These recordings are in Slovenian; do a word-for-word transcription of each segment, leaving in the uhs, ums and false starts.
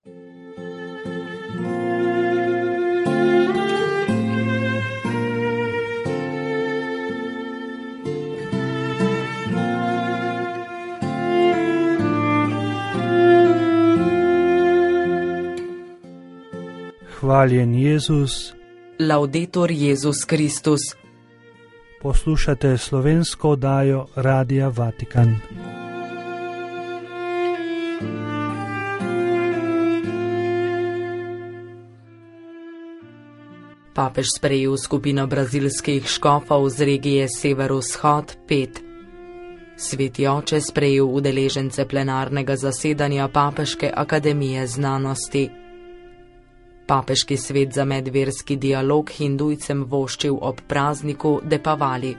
Hvaljen Jezus. Laudetur Jezus Kristus. Poslušate slovensko oddajo Radia Vatikan. Papež sprejel skupino brazilskih škofov z regije Severovzhod pet. Sveti oče sprejel udeležence plenarnega zasedanja Papeške akademije znanosti. Papeški svet za medverski dialog hindujcem voščil ob prazniku Depavali.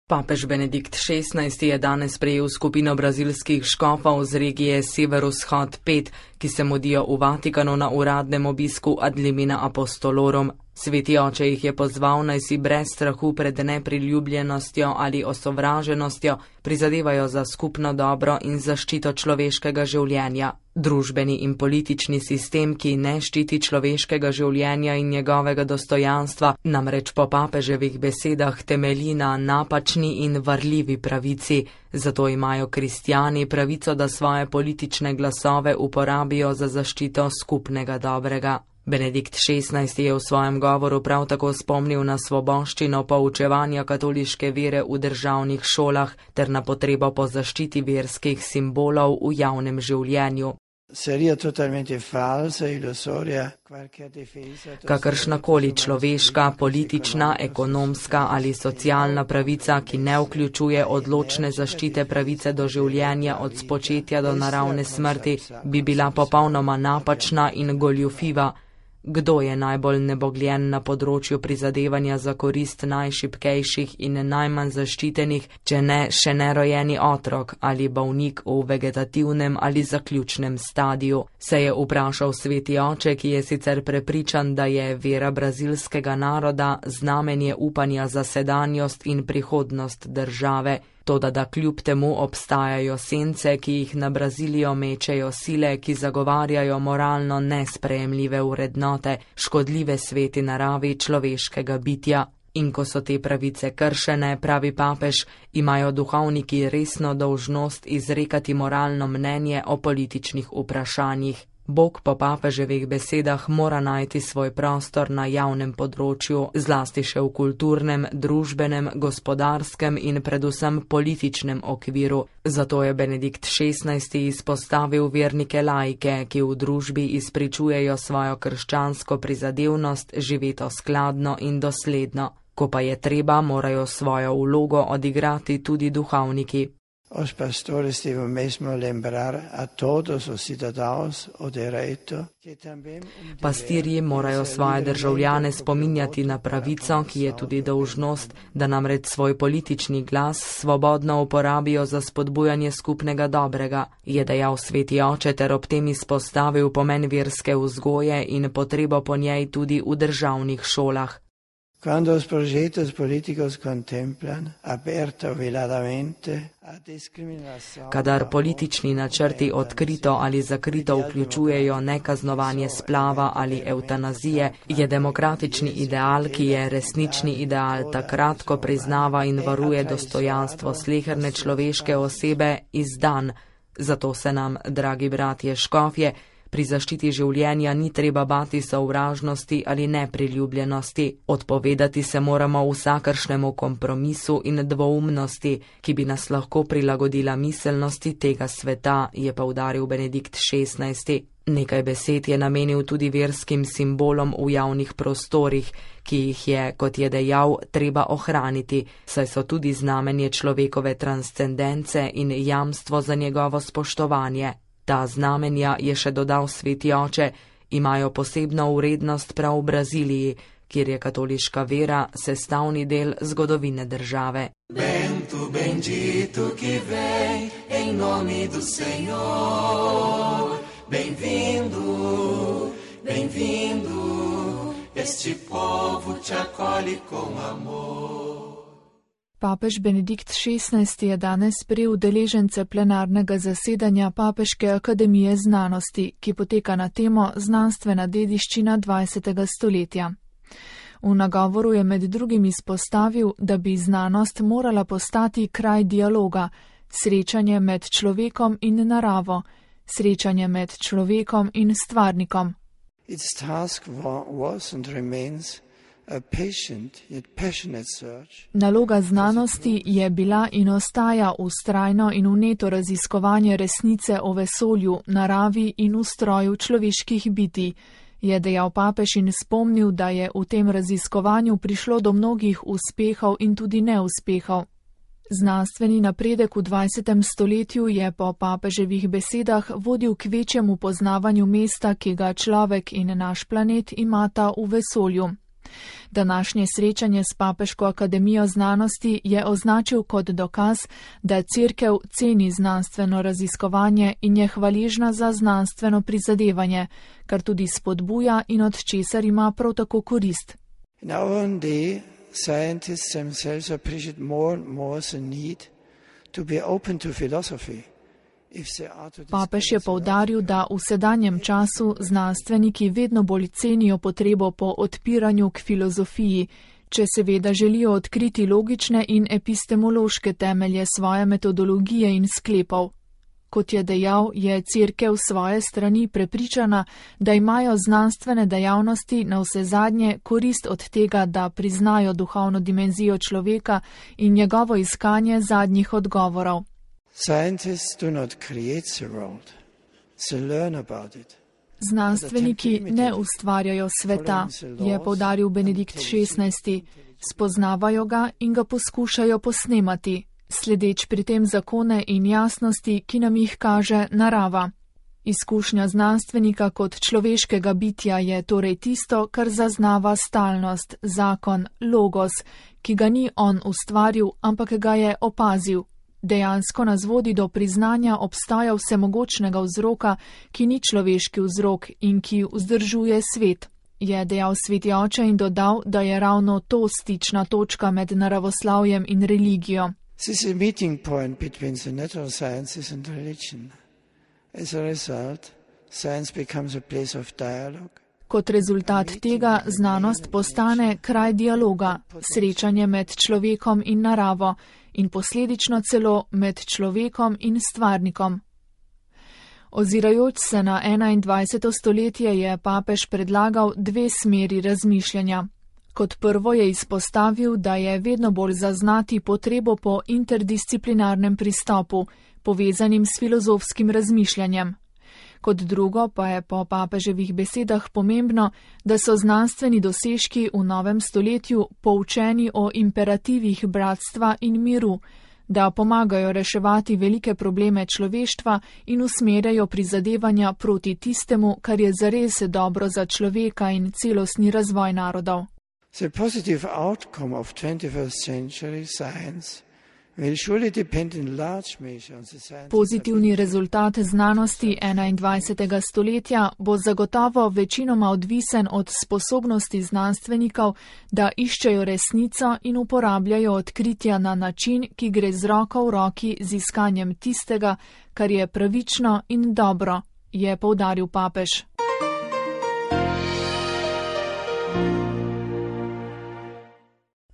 Papež Benedikt šestnajsti je danes sprejel skupino brazilskih škofov z regije Severovzhod pet, ki se mudijo v Vatikanu na uradnem obisku ad limina apostolorum. Sveti oče jih je pozval, naj si brez strahu pred nepriljubljenostjo ali osovraženostjo prizadevajo za skupno dobro in zaščito človeškega življenja. Družbeni in politični sistem, ki ne ščiti človeškega življenja in njegovega dostojanstva, namreč po papeževih besedah temelji na napačni in varljivi pravici. Zato imajo kristjani pravico, da svoje politične glasove uporabijo za zaščito skupnega dobrega. Benedikt šestnajsti je v svojem govoru prav tako spomnil na svoboščino poučevanja katoliške vere v državnih šolah ter na potrebo po zaščiti verskih simbolov v javnem življenju. Kakršnakoli človeška, politična, ekonomska ali socialna pravica, ki ne vključuje odločne zaščite pravice do življenja od spočetja do naravne smrti, bi bila popolnoma napačna in goljufiva. Kdo je najbolj nebogljen na področju prizadevanja za korist najšibkejših in najmanj zaščitenih, če ne še nerojeni otrok ali bolnik v vegetativnem ali zaključnem stadiju, se je vprašal sveti oče, ki je sicer prepričan, da je vera brazilskega naroda znamenje upanja za sedanjost in prihodnost države. Toda da kljub temu obstajajo sence, ki jih na Brazilijo mečejo sile, ki zagovarjajo moralno nesprejemljive vrednote, škodljive sveti naravi človeškega bitja. In ko so te pravice kršene, pravi papež, imajo duhovniki resno dolžnost izrekati moralno mnenje o političnih vprašanjih. Bog po papeževih besedah mora najti svoj prostor na javnem področju, zlasti še v kulturnem, družbenem, gospodarskem in predvsem političnem okviru. Zato je Benedikt šestnajsti izpostavil vernike laike, ki v družbi izpričujejo svojo krščansko prizadevnost živeto skladno in dosledno. Ko pa je treba, morajo svojo vlogo odigrati tudi duhovniki. Os pastores devono mesmo lembrar a todos os cidadãos o direito. Pastirji morajo svoje državljane spominjati na pravico, ki je tudi dolžnost, da namreč svoj politični glas svobodno uporabijo za spodbujanje skupnega dobrega, je dejal sveti oče ter ob tem izpostavil pomen verske vzgoje in potrebo po njej tudi v državnih šolah. Quando os projetos políticos contemplan aberta veladamente a discriminação. Kadar politični načrti odkrito ali zakrito vključujejo nekaznovanje splava ali evtanazije, je demokratični ideal, ki je resnični ideal, takrat, ko priznava in varuje dostojanstvo sleherne človeške osebe, izdan. Zato se nam, dragi bratje škofje, pri zaščiti življenja ni treba bati sovražnosti ali nepriljubljenosti. Odpovedati se moramo vsakršnemu kompromisu in dvoumnosti, ki bi nas lahko prilagodila miselnosti tega sveta, je poudaril Benedikt šestnajsti. Nekaj besed je namenil tudi verskim simbolom v javnih prostorih, ki jih je, kot je dejal, treba ohraniti, saj so tudi znamenje človekove transcendence in jamstvo za njegovo spoštovanje. Ta znamenja, je še dodal sveti oče, imajo posebno vrednost prav v Braziliji, kjer je katoliška vera sestavni del zgodovine države. Bendito, bendito, ki vem, em nome do Senhor. Bem-vindo, bem-vindo, este povo te acolhe com amor. Papež Benedikt šestnajsti je danes sprejel udeležence plenarnega zasedanja Papeške akademije znanosti, ki poteka na temo Znanstvena dediščina dvajsetega stoletja. V nagovoru je med drugim izpostavil, da bi znanost morala postati kraj dialoga, srečanje med človekom in naravo, srečanje med človekom in stvarnikom. Its task was and remains a patient yet passionate search. Naloga znanosti je bila in ostaja vztrajno in vneto raziskovanje resnice o vesolju, naravi in ustroju človeških bitij, je dejal papež in spomnil, da je v tem raziskovanju prišlo do mnogih uspehov in tudi neuspehov. Znanstveni napredek v dvajsetem stoletju je po papeževih besedah vodil k večjemu poznavanju mesta, ki ga človek in naš planet imata v vesolju. Današnje srečanje s Papeško akademijo znanosti je označil kot dokaz, da Cerkev ceni znanstveno raziskovanje in je hvaležna za znanstveno prizadevanje, kar tudi spodbuja in od česar ima prav tako korist. Scientists themselves appreciate more and more the need to be open to philosophy. Papež je poudaril, da v sedanjem času znanstveniki vedno bolj cenijo potrebo po odpiranju k filozofiji, če seveda želijo odkriti logične in epistemološke temelje svoje metodologije in sklepov. Kot je dejal, je Cerkev svoje strani prepričana, da imajo znanstvene dejavnosti na vse zadnje korist od tega, da priznajo duhovno dimenzijo človeka in njegovo iskanje zadnjih odgovorov. Znanstveniki ne ustvarjajo sveta, je poudaril Benedikt šestnajsti, spoznavajo ga in ga poskušajo posnemati, sledeč pri tem zakone in jasnosti, ki nam jih kaže narava. Izkušnja znanstvenika kot človeškega bitja je torej tisto, kar zaznava stalnost, zakon, logos, ki ga ni on ustvaril, ampak ga je opazil. Dejansko nas vodi do priznanja obstaja vsemogočnega vzroka, ki ni človeški vzrok in ki vzdržuje svet, je dejal sveti oče in dodal, da je ravno to stična točka med naravoslavjem in religijo. This is a meeting point between the natural sciences and religion. As a result, science becomes a place of dialogue. Kot rezultat tega znanost postane kraj dialoga, srečanje med človekom in naravo in posledično celo med človekom in stvarnikom. Ozirajoč se na enaindvajseto stoletje je papež predlagal dve smeri razmišljanja. Kot prvo je izpostavil, da je vedno bolj zaznati potrebo po interdisciplinarnem pristopu, povezanim s filozofskim razmišljanjem. Kot drugo pa je po papeževih besedah pomembno, da so znanstveni dosežki v novem stoletju poučeni o imperativih bratstva in miru, da pomagajo reševati velike probleme človeštva in usmerjajo prizadevanja proti tistemu, kar je zares dobro za človeka in celostni razvoj narodov. The positive outcome of twenty-first century science will surely depend in large measure on the science. Pozitivni rezultat znanosti enaindvajsetega stoletja bo zagotovo večinoma odvisen od sposobnosti znanstvenikov, da iščejo resnico in uporabljajo odkritja na način, ki gre z roko v roki z iskanjem tistega, kar je pravično in dobro, je poudaril papež.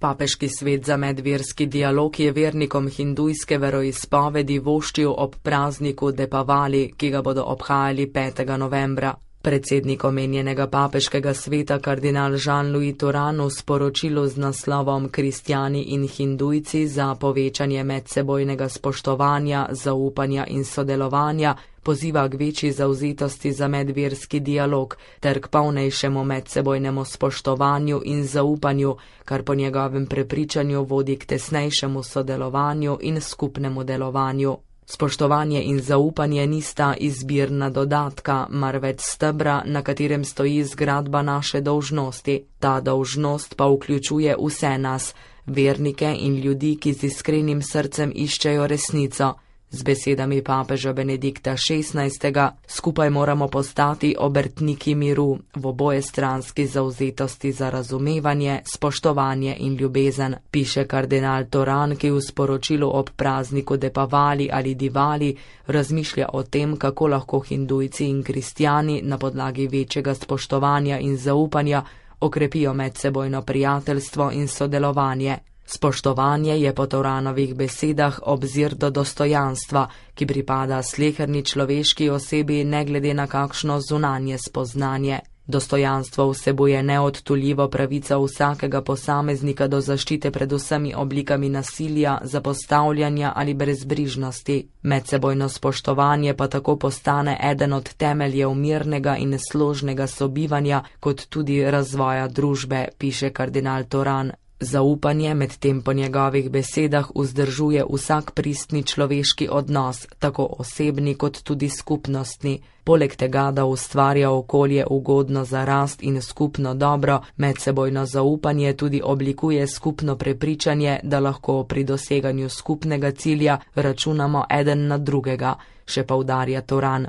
Papeški svet za medverski dialog je vernikom hindujske veroizpovedi voščil ob prazniku Depavali, ki ga bodo obhajali petega novembra. Predsednik omenjenega papeškega sveta kardinal Jean-Louis Turanu v sporočilu z naslovom Kristjani in hindujci za povečanje medsebojnega spoštovanja, zaupanja in sodelovanja poziva k večji zavzetosti za medverski dialog ter k polnejšemu medsebojnemu spoštovanju in zaupanju, kar po njegovem prepričanju vodi k tesnejšemu sodelovanju in skupnemu delovanju. Spoštovanje in zaupanje nista izbirna dodatka, marveč stebra, na katerem stoji zgradba naše dolžnosti. Ta dolžnost pa vključuje vse nas, vernike in ljudi, ki z iskrenim srcem iščejo resnico. Z besedami papeža Benedikta šestnajstega skupaj moramo postati obrtniki miru v obojestranski zavzetosti za razumevanje, spoštovanje in ljubezen, piše kardinal Toran, ki v sporočilu ob prazniku Depavali ali Divali razmišlja o tem, kako lahko hindujci in kristjani na podlagi večjega spoštovanja in zaupanja okrepijo medsebojno prijateljstvo in sodelovanje. Spoštovanje je po Toranovih besedah obzir do dostojanstva, ki pripada sleherni človeški osebi ne glede na kakšno zunanje spoznanje. Dostojanstvo vsebuje neodtuljivo pravico vsakega posameznika do zaščite pred vsemi oblikami nasilja, zapostavljanja ali brezbrižnosti. Medsebojno spoštovanje pa tako postane eden od temeljev mirnega in složnega sobivanja, kot tudi razvoja družbe, piše kardinal Toran. Zaupanje medtem po njegovih besedah vzdržuje vsak pristni človeški odnos, tako osebni kot tudi skupnostni. Poleg tega, da ustvarja okolje ugodno za rast in skupno dobro, medsebojno zaupanje tudi oblikuje skupno prepričanje, da lahko pri doseganju skupnega cilja računamo eden na drugega, še poudarja Toran.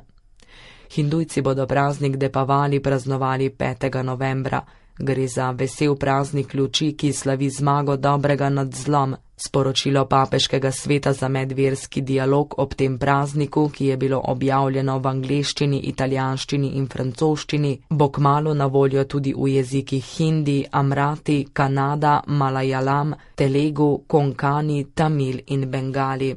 Hindujci bodo praznik Depavali praznovali petega novembra. Gre za vesel praznik luči, ki slavi zmago dobrega nad zlom. Sporočilo papeškega sveta za medverski dialog ob tem prazniku, ki je bilo objavljeno v angleščini, italijanščini in francoščini, bo kmalu na voljo tudi v jezikih hindi, amrati, kanada, malajalam, telegu, konkani, tamil in bengali.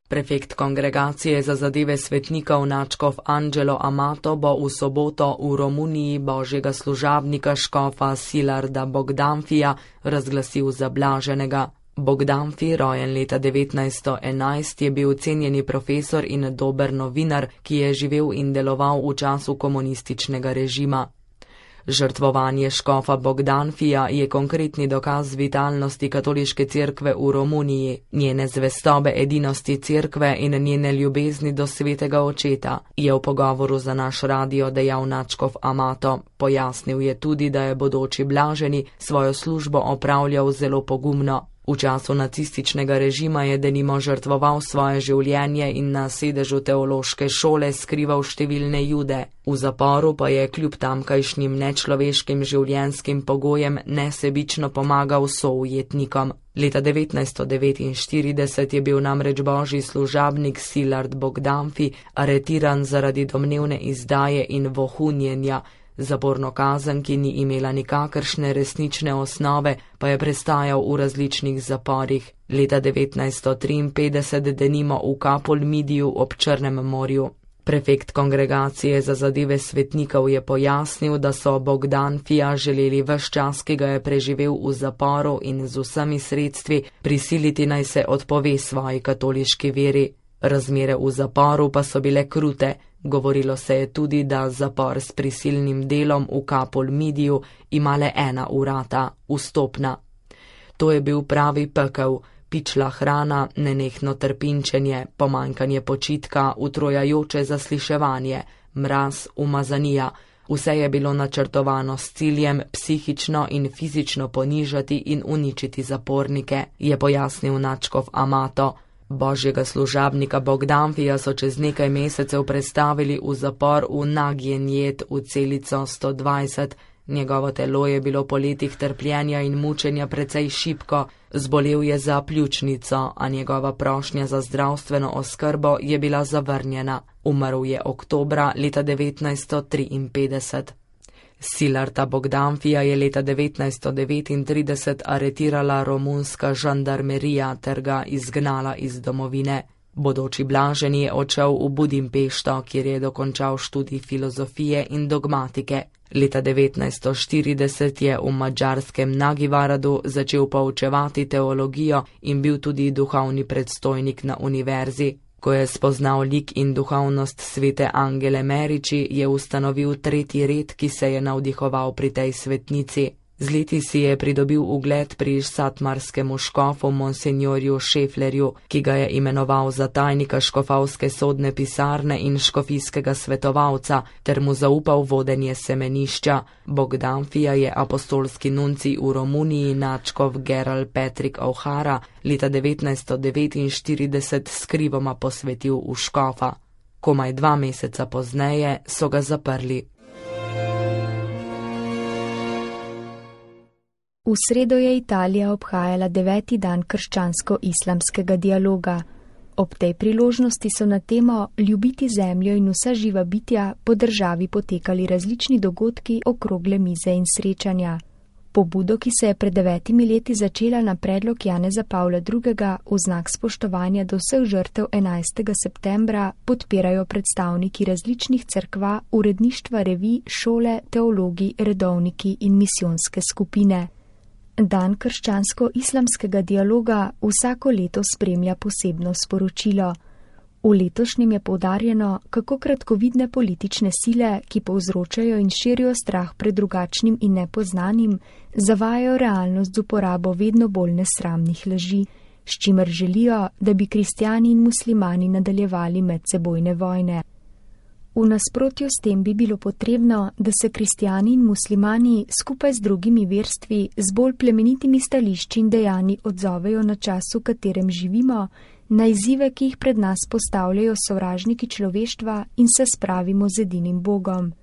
Prefekt kongregacije za zadeve svetnikov nadškof Angelo Amato bo v soboto v Romuniji božjega služabnika škofa Silarda Bogdanfija razglasil za blaženega. Bogdanfi, rojen leta devetnajststo enajst, je bil cenjeni profesor in dober novinar, ki je živel in deloval v času komunističnega režima. Žrtvovanje škofa Bogdanfija je konkretni dokaz vitalnosti katoliške cerkve v Romuniji, njene zvestobe edinosti cerkve in njene ljubezni do svetega očeta, je v pogovoru za naš radio dejal nadškof Amato. Pojasnil je tudi, da je bodoči blaženi svojo službo opravljal zelo pogumno. V času nacističnega režima je denimo žrtvoval svoje življenje in na sedežu teološke šole skrival številne Jude. V zaporu pa je kljub tamkajšnjim nečloveškim življenjskim pogojem nesebično pomagal soujetnikom. Leta devetnajststo devetinštirideset je bil namreč božji služabnik Silard Bogdanfi aretiran zaradi domnevne izdaje in vohunjenja. Zaporno kazen, ki ni imela nikakršne resnične osnove, pa je prestajal v različnih zaporih. Leta devetnajststo triinpetdeset denimo v Kapolmidiju ob Črnem morju. Prefekt kongregacije za zadeve svetnikov je pojasnil, da so Bogdanfija želeli ves čas, ki ga je preživel v zaporu in z vsemi sredstvi prisiliti naj se odpove svoji katoliški veri. Razmere v zaporu pa so bile krute. Govorilo se je tudi, da zapor s prisilnim delom v Kapolmidiju ima le ena vrata, vstopna. To je bil pravi pekel, pičla hrana, nenehno trpinčenje, pomanjkanje počitka, utrojajoče zasliševanje, mraz, umazanija. Vse je bilo načrtovano s ciljem psihično in fizično ponižati in uničiti zapornike, je pojasnil nadškof Amato. Božjega služabnika Bogdanfija so čez nekaj mesecev prestavili v zapor v Nagnjet v celico sto dvajset. Njegovo telo je bilo po letih trpljenja in mučenja precej šibko, zbolel je za pljučnico, a njegova prošnja za zdravstveno oskrbo je bila zavrnjena. Umrl je oktobra leta devetnajststo triinpetdeset. Silarda Bogdanfija je leta devetnajststo devetintrideset aretirala romunska žandarmerija ter ga izgnala iz domovine. Bodoči blaženi je odšel v Budimpešto, kjer je dokončal študij filozofije in dogmatike. Leta devetnajststo štirideset je v madžarskem Nagyvaradu začel poučevati teologijo in bil tudi duhovni predstojnik na univerzi. Ko je spoznal lik in duhovnost svete Angele Meriči, je ustanovil tretji red, ki se je navdihoval pri tej svetnici. Z leti si je pridobil ugled pri satmarskemu škofu monsenjorju Šeflerju, ki ga je imenoval za tajnika škofovske sodne pisarne in škofijskega svetovalca, ter mu zaupal vodenje semenišča. Bogdanfija je apostolski nuncij v Romuniji nadškof Gerald Patrick O'Hara leta devetnajststo devetinštirideset skrivoma posvetil v škofa. Komaj dva meseca pozneje so ga zaprli. V sredo je Italija obhajala deveti dan krščansko-islamskega dialoga. Ob tej priložnosti so na temo ljubiti zemljo in vsa živa bitja po državi potekali različni dogodki, okrogle mize in srečanja. Pobudo, ki se je pred devetimi leti začela na predlog Janeza Pavla drugega v znak spoštovanja do vseh žrtev enajstega septembra, podpirajo predstavniki različnih cerkva, uredništva revij, šole, teologi, redovniki in misijonske skupine. Dan krščansko-islamskega dialoga vsako leto spremlja posebno sporočilo. V letošnjem je poudarjeno, kako kratkovidne politične sile, ki povzročajo in širijo strah pred drugačnim in nepoznanim, zavajajo realnost z uporabo vedno bolj nesramnih laži, s čimer želijo, da bi kristjani in muslimani nadaljevali medsebojne vojne. V nasprotju s tem bi bilo potrebno, da se kristjani in muslimani skupaj z drugimi verstvi z bolj plemenitimi stališči in dejanji odzovejo na čas, v katerem živimo, na izzive, ki jih pred nas postavljajo sovražniki človeštva, in se spravimo z edinim Bogom.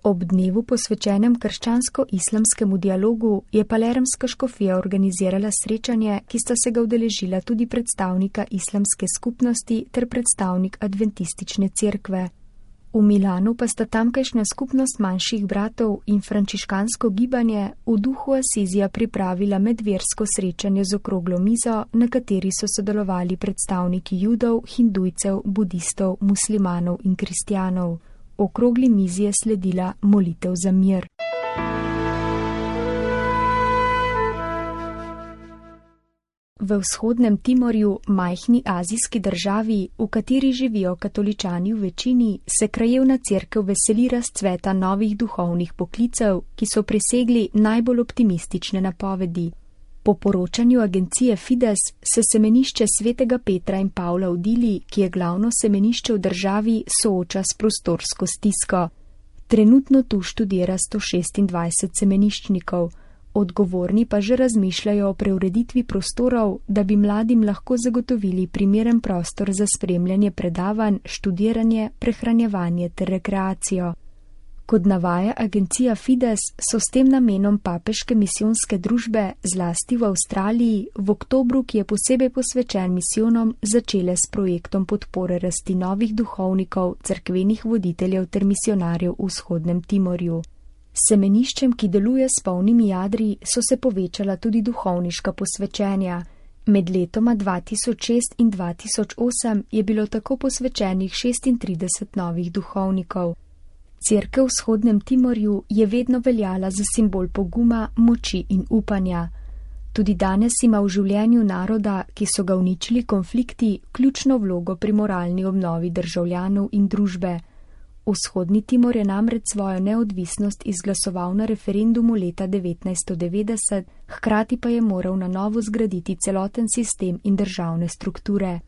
Ob dnevu posvečenem krščansko-islamskemu dialogu je palermska škofija organizirala srečanje, ki sta se ga udeležila tudi predstavnika islamske skupnosti ter predstavnik adventistične cerkve. V Milanu pa sta tamkajšnja skupnost manjših bratov in frančiškansko gibanje v duhu Asizija pripravila medversko srečanje z okroglo mizo, na kateri so sodelovali predstavniki judov, hindujcev, budistov, muslimanov in kristjanov. Okrogli mizi je sledila molitev za mir. V vzhodnem Timorju, majhni azijski državi, v kateri živijo katoličani v večini, se krajevna cerkev veseli razcveta novih duhovnih poklicev, ki so presegli najbolj optimistične napovedi. Po poročanju agencije Fides se semenišče svetega Petra in Pavla v Dili, ki je glavno semenišče v državi, sooča s prostorsko stisko. Trenutno tu študira sto šestindvajset semeniščnikov. Odgovorni pa že razmišljajo o preureditvi prostorov, da bi mladim lahko zagotovili primeren prostor za spremljanje predavanj, študiranje, prehranjevanje ter rekreacijo. Kot navaja agencija Fides, so s tem namenom papeške misijonske družbe, zlasti v Avstraliji, v oktobru, ki je posebej posvečen misijonom, začele s projektom podpore rasti novih duhovnikov, cerkvenih voditeljev ter misionarjev v vzhodnem Timorju. Semeniščem, ki deluje s polnimi jadri, so se povečala tudi duhovniška posvečenja. Med letoma dva tisoč šest in dva tisoč osem je bilo tako posvečenih šestintrideset novih duhovnikov. Cerkev v vzhodnem Timorju je vedno veljala za simbol poguma, moči in upanja. Tudi danes ima v življenju naroda, ki so ga uničili konflikti, ključno vlogo pri moralni obnovi državljanov in družbe. Vzhodni Timor je namreč svojo neodvisnost izglasoval na referendumu leta devetnajststo devetdeset, hkrati pa je moral na novo zgraditi celoten sistem in državne strukture.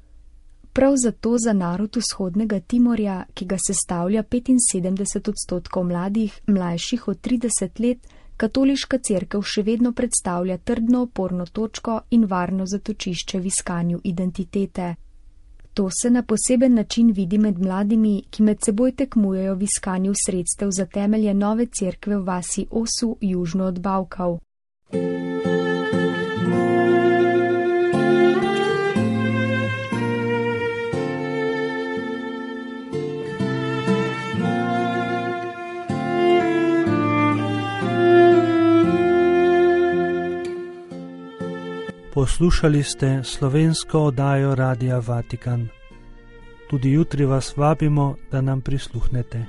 Prav zato za narod vzhodnega Timorja, ki ga sestavlja petinsedemdeset odstotkov mladih, mlajših od trideset let, katoliška cerkev še vedno predstavlja trdno oporno točko in varno zatočišče v iskanju identitete. To se na poseben način vidi med mladimi, ki med seboj tekmujejo v iskanju sredstev za temelje nove cerkve v vasi Osu, južno od Bavkav. Poslušali ste slovensko oddajo Radia Vatikan. Tudi jutri vas vabimo, da nam prisluhnete.